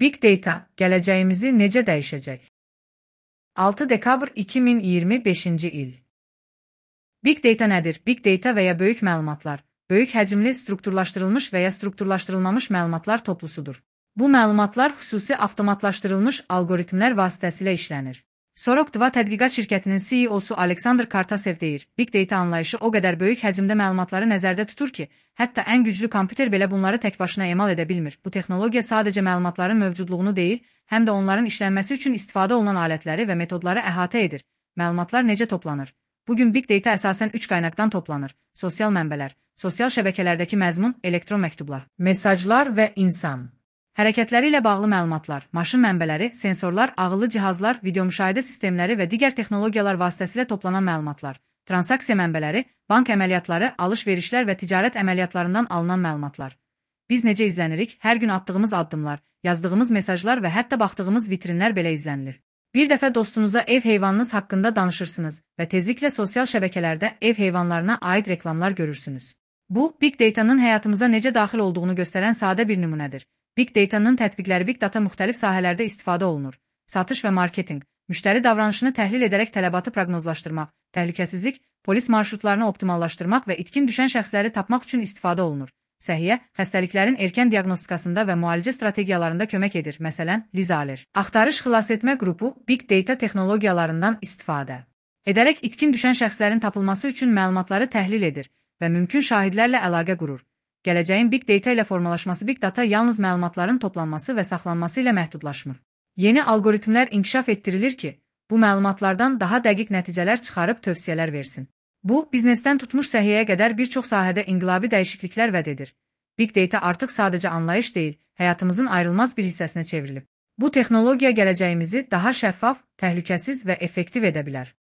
Big Data gələcəyimizi necə dəyişəcək? 6 dekabr 2025-ci il. Big Data nədir? Big Data və ya böyük məlumatlar, böyük həcmli strukturlaşdırılmış və ya strukturlaşdırılmamış məlumatlar toplusudur. Bu məlumatlar xüsusi avtomatlaşdırılmış algoritmlər vasitəsilə işlənir. Sorok2 tədqiqat şirkətinin CEO-su Aleksandr Kartasev deyir, Big Data anlayışı o qədər böyük həcmdə məlumatları nəzərdə tutur ki, hətta ən güclü kompüter belə bunları tək başına emal edə bilmir. Bu texnologiya sadəcə məlumatların mövcudluğunu deyil, həm də onların işlənməsi üçün istifadə olunan alətləri və metodları əhatə edir. Məlumatlar necə toplanır? Bugün Big Data əsasən 3 qaynaqdan toplanır: sosial mənbələr, sosial şəbəkələrdəki məzmun, elektron məktublar, mesajlar və insan hərəkətləri ilə bağlı məlumatlar, maşın mənbələri, sensorlar, ağıllı cihazlar, video müşahidə sistemləri və digər texnologiyalar vasitəsilə toplanan məlumatlar, transaksiya mənbələri, bank əməliyyatları, alış-verişlər və ticarət əməliyyatlarından alınan məlumatlar. Biz necə izlənirik? Hər gün atdığımız addımlar, yazdığımız mesajlar və hətta baxdığımız vitrinlər belə izlənilir. Bir dəfə dostunuza ev heyvanınız haqqında danışırsınız və tezliklə sosial şəbəkələrdə ev heyvanlarına aid reklamlar görürsünüz. Bu, Big Data'nın həyatımıza necə daxil olduğunu göstərən sadə bir nümunədir. Big Data'nın tətbiqləri Big Data müxtəlif sahələrdə istifadə olunur. Satış və marketinq, müştəri davranışını təhlil edərək tələbatı proqnozlaşdırmaq, təhlükəsizlik, polis marşrutlarını optimallaşdırmaq və itkin düşən şəxsləri tapmaq üçün istifadə olunur. Səhiyyə, xəstəliklərin erkən diaqnostikasında və müalicə strategiyalarında kömək edir, məsələn, Liz Aller. Axtarış xilasetmə qrupu Big Data texnologiyalarından istifadə edərək itkin düşən şəxslərin tapılması üçün məlumatları təhlil edir və mümkün şahidlərlə əlaqə qurur. Gələcəyin Big Data ilə formalaşması Big Data yalnız məlumatların toplanması və saxlanması ilə məhdudlaşmır. Yeni algoritmlər inkişaf etdirilir ki, bu məlumatlardan daha dəqiq nəticələr çıxarıb tövsiyələr versin. Bu, biznesdən tutmuş səhiyyəyə qədər bir çox sahədə inqilabi dəyişikliklər vəd edir. Big Data artıq sadəcə anlayış deyil, həyatımızın ayrılmaz bir hissəsinə çevrilib. Bu texnologiya gələcəyimizi daha şəffaf, təhlükəsiz və effektiv edə bilər.